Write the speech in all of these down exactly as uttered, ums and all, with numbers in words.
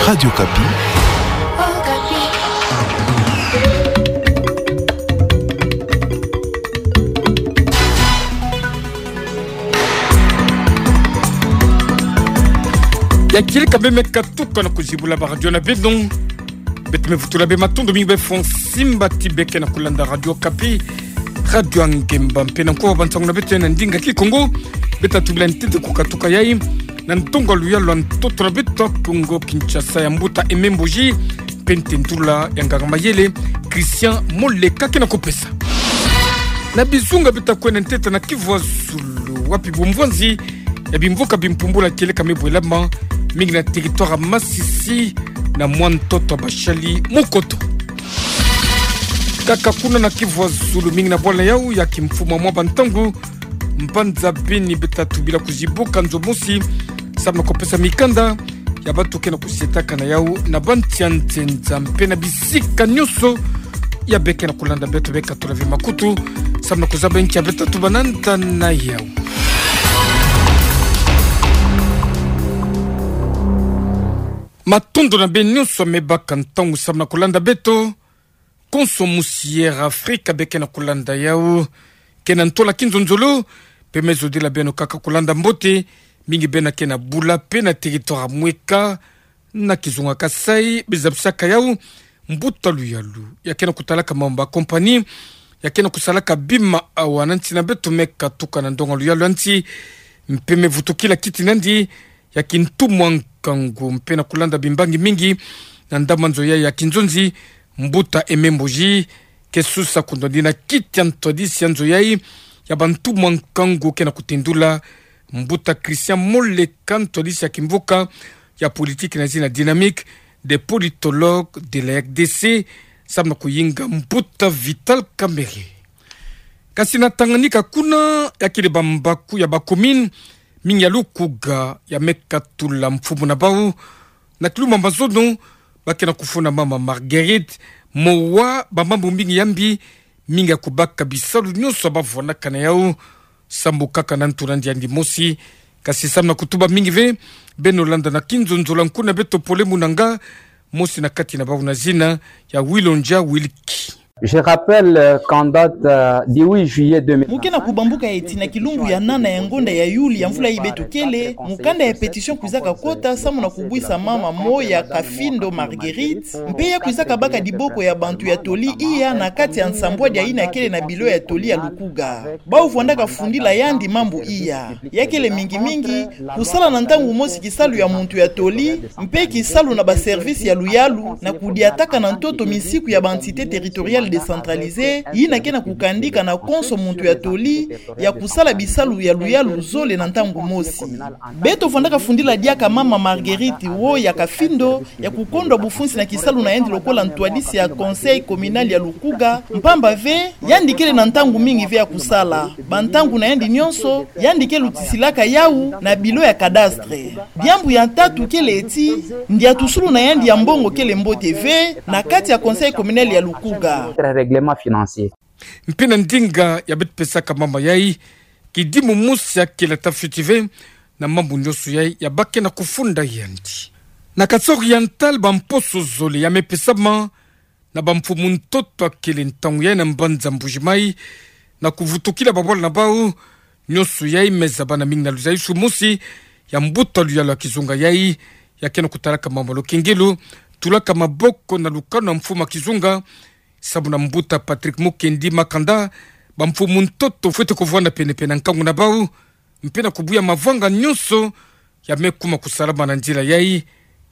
Radio Okapi. Ya kieleka bê me katuka na kuzibula baradio na beno. Beto me vutula bê matondo mingi bê fo nsimbati bê ke na kulanda Radio Okapi, radio ya ngemba mpe na nkowa bansangu na beto ya na ndinga Kikongo. Beto tubila ntete ku katuka yayi na ndonga luyalu ya ntoto na beto Kongo Kinshasa ya mbuta Aimé Mboji, mpe ntendula ya nganga mayele Christian Moleka ke na kupesa. Na bizunga beto kwenda ntete na Kivu ya Zulu, wapi bumvwanzi ya bimvuka bimpumbula kieleka me bwelama mingi na territoire ya Masisi na mwa ntoto ya bashali mukoto. Kaka kuna na Kivu ya Zulu, mingi na bwala yau ya kimfumu ya mwa bantangu, mbanza Beni, beto tubila kuzibuka nzo mosi samu na kupesa mikanda ya bantu ke na kusietaka na yau na bansi ya nzenza mpe na bisika nyonso ya bê ke na kulanda beto bê katula ve makutu samu na kuzaba nki ya beto tubana nta na yau. Matondo na bê nyonso me baka ntangu samu na kulanda beto. Konso musi ya Air Afrika bê ke na kulanda yau ke na ntola kinzonzolo, mpe me zodila beno kaka kulanda mbote mingi bê na ke na bula mpe na territoire ya mweka na kizunga Kasaï, bê zabisaka yau mbuta luyalu ya ke na kutalaka mambu ya compagnie ya ke na kusalaka bima awa na nsi na beto me katuka na ndonga luyalu ya nsi, mpe me vutukila kiti nandi ya kintu mwa nkangu mpe na kulanda bimbangi mingi na ndambu nzo yayi ya kinzonzi, mbuta Aimé Mboji ke susa kundwa dina kiti ya ntwadisi ya nzo yayi ya bantu mwa nkangu ke na kutendula mbuta Christian Moleka, ntwadisi ya kimvuka ya politique na zina Dynamique des politologues de la R D C, samu na kuyinga mbuta Vital Kamerhe. Kasi na Tanganyika kuna, ya kele bambaku ya ba commune mingi ya lukuga ya me katula mfumu na bau na kilumbu ya mazono, ba ke na kufunda mama Marguerite mowa bamambu mingi ya mbi, mingi ya kubaka bisalu nyonso ya bavwandaka na yau. Sambu kaka na ntu nandi yandi mosi, kasi samu na kutuba mingi ve, beno landa na kinzonzolo ya nkuna beto Pole Munanga, mosi na kati na bau na zina ya Wilonja Wilki. Je rappelle, euh, qu'en date, euh, du huit juillet deux mille. Mu ke na kubambuka eti na kilumbu ya nana ya ngonda ya Yuli ya mvula yi beto kele, mukanda ya pétition kwizaka kota samu na kubwisa mama Moya Kafindo Marguerite, mpe ya kwizaka baka diboko ya bantu ya toli iya na kati ya nsambwadi ya yina kele na bilo ya toli ya lukuga. Bau vwandaka fundila yandi mambu iya. Ya kele mingi mingi kusala na ntangu mosi kisalu ya muntu ya toli, mpe kisalu na ba service ya luyalu, na kudiataka na ntoto misiku ya ba entité territoriale décentralisée, yina ke na kukandika na konso muntu ya toli ya kusala bisalu ya luyalu zole na ntangu mosi. Beto vwandaka fundila diaka mama Marguerite Moya Kafindo, ya kukondwa bufunsi na kisalu na yandi lokola ntwadisi ya conseil communal ya lukuga, mpamba ve yandi kele na ntangu mingi ve ya kusala. Bantangu na yandi nyonso, yandi ke lutisilaka yau na bilo ya cadastre. Diambu ya ntatu kele eti, ndiatusulu na yandi ya mbongo kele mbote ve na kati ya conseil communal ya lukuga. Règlement financier. Mpe na ndinga ya beto pesaka mama yayi, kidimu mosi ya kele ata fioti ve na mambu nyonso yayi ya ba ke na kufunda yandi. Na Kasaï Oriental, bamposo zole ya me pesama na bamfumu ntoto ya kele ntangu yayi na mbanza Mbuji-Mayi, na kuvutukila babwala na bau. Nyonso yayi me zabana mingi na luzaisu mosi ya mbuta luyalu ya kizunga yayi ya ke na kutalaka mama Lokengelo, tulaka maboko na lukanu ya mfumu ya kizunga, samu na mbuta Patrick Mukendi Makanda, bamfumu ntoto fwete kuvwanda pene-pene na nkangu na bau, mpe na kubuya mavanga nyonso ya me kuma kusalama na nzila yayi,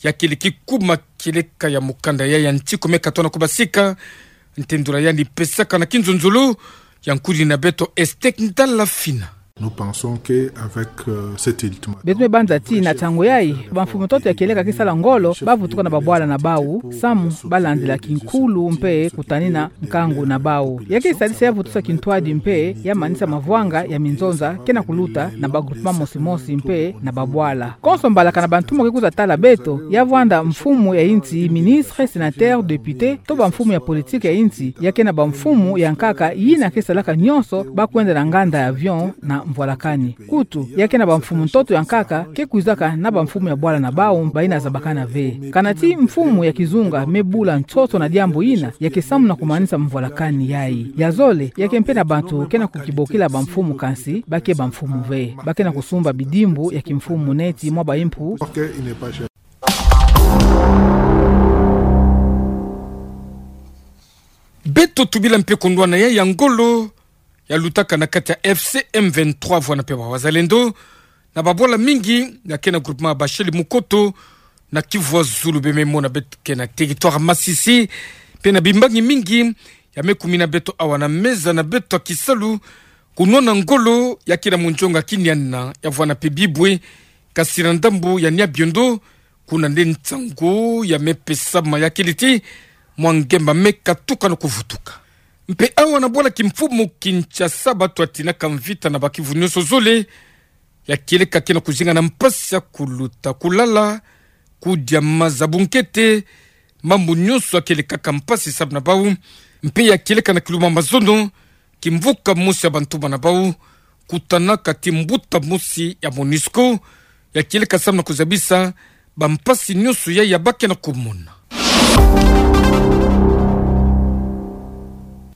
ya kele kikuma kieleka ya mukanda yayi ya ntiku me katona kubasika. Ntendula yandi pesaka na kinzonzolo ya nkudi na beto Estek Ndala Fina. Nous pensons que avec, euh, cet ultimatum, beto me banza ti na ntangu yayi, bamfumu ntoto ya kieleka ke sala ngolo, bavutuka na babwala na bau, samu balandila kinkulu mpe kutanina nkangu na bau. Ya ke sadisa ya vutusa kintwadi mpe ya manisa mavwanga ya minzonza ke na kuluta na ba groupement mosi mosi mpe na babwala. Konso mbalakana bantu mo ke kwiza tala beto, ya vwanda mfumu ya insi, ministre, sénateur, député, to bamfumu ya politique ya insi, ya ke na bamfumu ya nkaka yina ke salaka nyonso ba kwenda na nganda ya avion na mvwalakani. Kutu, ya ke na bamfumu ntoto ya nkaka, ke kwizaka na bamfumu ya bwala na bau, bayina zabakana ve. Kana ti mfumu ya kizunga me bula ntoto na diambu yina, ya ke samu na kumanisa mvwalakani yayi. Ya zole, ya ke mpe na bantu ke na kukibokila bamfumu kansi ba ke bamfumu ve. Ba ke na kusumba bidimbu ya kimfumu neti mwa baimpu. Beto tubila mpe kundwana ya ya ngolo ya lutaka na kati ya F C M vingt-trois vwana mpe ba Wazalendo, na babwala mingi ya ke na groupement ya Bashali Mukoto, na Kivu ya Zulu, bie me mona beto ke na territoire Masisi, mpe na bimbangi mingi ya me kumina beto awa na meza na beto ya kisalu, kunwana ngolo ya ke na munzonga kiniana ya vwana mpe bibwe, kasi na ndambu ya Niabiondo, kuna nde nsangu ya me pesama ya kele ti mwa ngemba me katuka na kuvutuka. Mpe awa na bwala kimfumu Kinshasa, bato ya tinaka mvita na bakivu nyonso zole, ya kieleka ke na kuzinga na mpasi ya kuluta, kulala, kudia, maza, bunkete, mambu nyonso ya kielekaka mpasi samu na bau, mpe ya kieleka na Kilumba Mazono, kimvuka mosi ya bantuma na bau, kutanaka ti mbuta mosi ya MONUSCO, ya kieleka samu na kuzabisa bampasi nyonso ya, ya ba ke na kumona.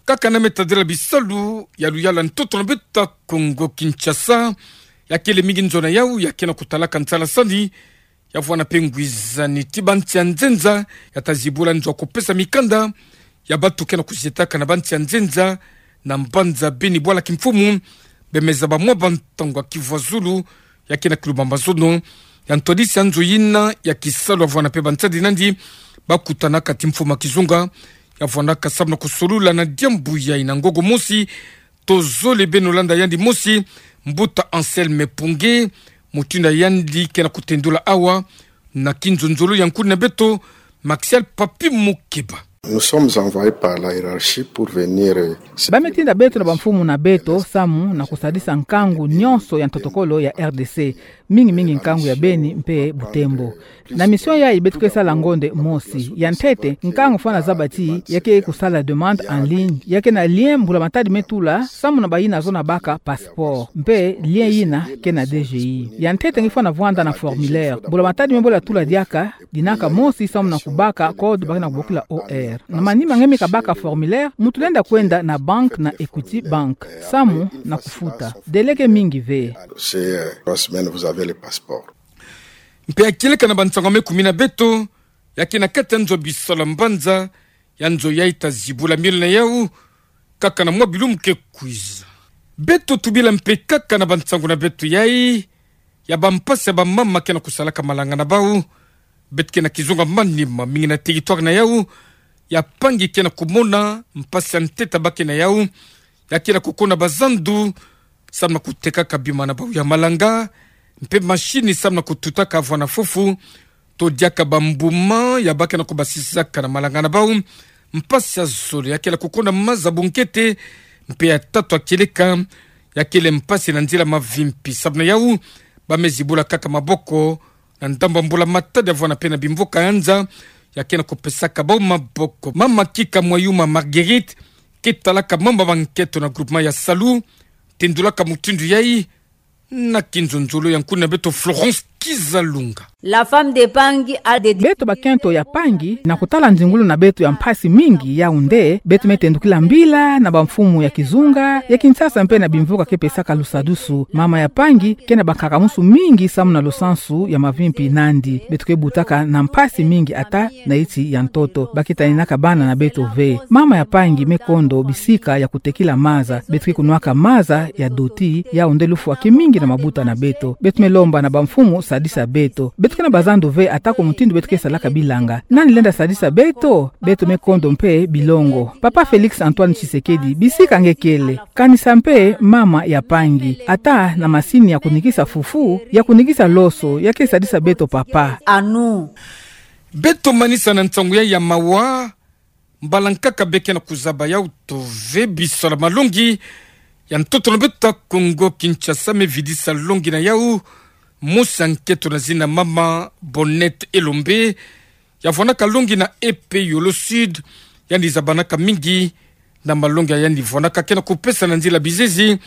Kaka na me tadila bisalu ya luyala ntoto na beto ya Kongo Kinshasa, ya kele mingi nzo na yau ya ke na kutalaka nsalasani, ya vwana mpe ngwizani ti bansi ya nzenza, ya ta zibula nzo ya kupesa mikanda ya bato ke na kuzietaka na bansi ya nzenza, na mbanza Beni, bwala kimfumu, bie me zaba mwa bantangu ya Kivu ya Zulu, ya ke na Kilumba Mazono, ya ntwadisi ya nzo yina ya kisalu ya vwana mpe bansadi nandi, ba kutanaka ti mfumu ya kizunga, ya vwanaka samu na kusolula na diambu yayi na ngongo mosi, tozole beno landa yandi mosi, mbuta Anselme Punge, mutindu yandi ke na kutendula awa, na kinzonzolo ya nkuni na beto, Maxial Papi Mukeba. Nous sommes envoyés par la hiérarchie pour venir, euh, Ba me tinda beto na bamfumu na beto samu na kusadisa nkangu nyonso ya ntotokolo ya R D C, mingi mingi nkangu ya Beni mpe Butembo. Na mission yayi beto ke sala ngonde mosi. Ya ntete, nkangu fwana zaba ti ya ke kusala demande en ligne, ya ke na lien mbula-matadi me tula, samu na bayina zona baka passeport, mpe lien yina ke na D G I. Ya ntete nge fwana vwanda na formulaire. Mbula-matadi me bola tula diaka, dinaka mosi samu na kubaka code ba ke na kubokila O R. Na manima nge me kabaka formulaire, mutu lenda kwenda na banque na Equity Bank samu na kufuta. Délai ke mingi ve. C'est, euh, trois semaines, vous avez le passeport. Mpe ya kieleka na bansangu ya me kumina beto, ya ke na kati ya nzo bisalu ya mbanza, ya nzo yayi ta zibula miole na yau, kaka na mwa bilumbu ke kwiza. Beto tubila mpe kaka na bansangu na beto yayi, ya bampasi ya bamama ke na kusalaka malanga na bau, beto ke na kizunga manima mingi na territoire na yau, ya mpangi ke na kumona mpasi ya ntete ba ke na yau, ya ke na kukona bazandu, samu na kutekaka bima na bau ya malanga, mpe machine samu na kututaka vwana fufu, to diaka bambuma ya ba ke na kubasisaka na malanga na bau, mpasi ya zole ya ke na kukona maza bunkete, mpe ya tatu ya kieleka, ya kele mpasi na nzila mavimpi, samu na yau, ba me zibula kaka maboko, na ndambu ya mbula-matadi ya vwana mpe na bimvuka ya nza, ya ke na kupesaka bau maboko. Mama Kika Mwayuma Marguerite, ke talaka mambu ya bankento na groupement ya Salu, tendulaka mutindu yayi, na kinzonzolo ya nkuni na beto Florence Kizalunga. La femme de Pangi a des... Beto bakento ya Pangi, na kutala nzingulu na beto ya mpasi mingi, yau nde beto me tendukila mbila na bamfumu ya kizunga, ya Kinshasa mpe na bimvuka ke pesaka lusadusu. Mama ya Pangi ke na bankaka-musu mingi samu na lusansu ya mavimpi nandi. Beto ke butaka na mpasi mingi ata na iti ya ntoto. Ba ke taninaka bana na beto ve. Mama ya Pangi me kondo bisika ya kutekila maza. Beto ke kunwaka maza ya doti, yau nde lufwa ke mingi na mabuta na beto. Beto me lomba na bamfumu sadisa beto. Beto ke na bazandu ve ata ko mutindu beto ke salaka bilanga. Nani lenda sadisa beto? Beto me kondo mpe bilongo. Papa Félix Antoine Tshisekedi, bisika nge kele, kanisa mpe mama ya Pangi, ata na masini ya kunikisa fufu, ya kunikisa loso, ya ke sadisa beto, papa. À nous. Beto manisa na nsangu yayi ya mawa, mbala nkaka be ke na kuzaba yau to ve bisalu ya malongi, ya ntoto na beto ya Kongo Kinshasa me vidisa longi na yau, mosi ya nkento na zina mama Bonette Elombe, ya vwanaka longi na E P Yolo Sud, yandi zabanaka mingi na malongi ya yandi vwanaka ke na kupesa na nzila bizizi,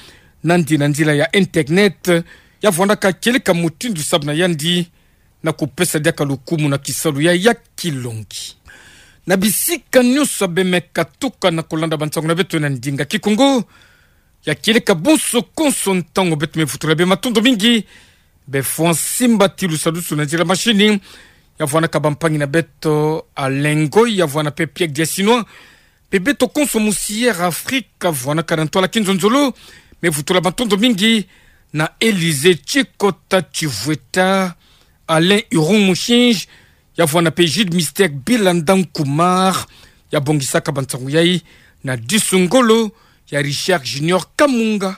nandi na nzila ya internet, ya vwanaka kieleka mutindu sabe na yandi, na kupesa diaka lukumu na kisalu ya ya kilongi. Na bisika nyonso bê me katuka na kulanda bansangu na beto na ndinga Kikongo, ya kieleka bonso konso ntangu beto me vutula bê matondo mingi, bê fwa nsimbatilu sadusu na nzila mashini, ya vwanaka bampangi na beto Alain Ngoy, ya vwana pe Pierre Diasinois, pe beto konso musi Air Afrique, vwanaka na ntwala kinzonzolo, me vutula matondo mingi na Élysée Tshikota Tshivweta, Alain Urung Mushinji, ya vwana pe Jude Mister Bilanda Nkumar, ya bongisaka bansangu yayi na disu ngolo ya Richard Junior Kamunga.